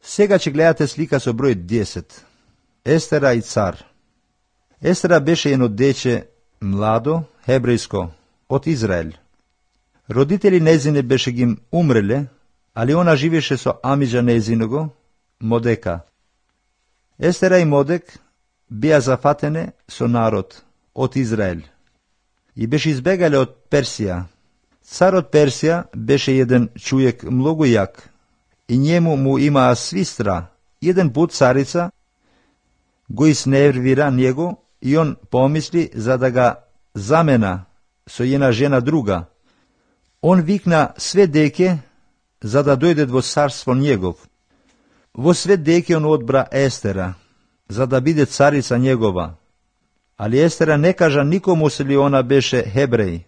Сега ќе гледате слика со број 10. Естера и цар. Естера беше едно дече, младо, хебрејско, од Израел. Родители незине беше ги умреле, али она живеше со амиџа незиного, Модека. Естера и Модек беа зафатене со народ од Израел и беше избегале од Персија. Царот Персија беше еден човек многу јак и njemu му имаа свистра. Еден пут царица го изнервира него и он помисли за да га замена со една жена друга. Он викна све деке за да дојдет во царство негов. Во све деке он одбра Естера, за да биде царица негова. Али Естера не кажа никому се ли она беше хебреј.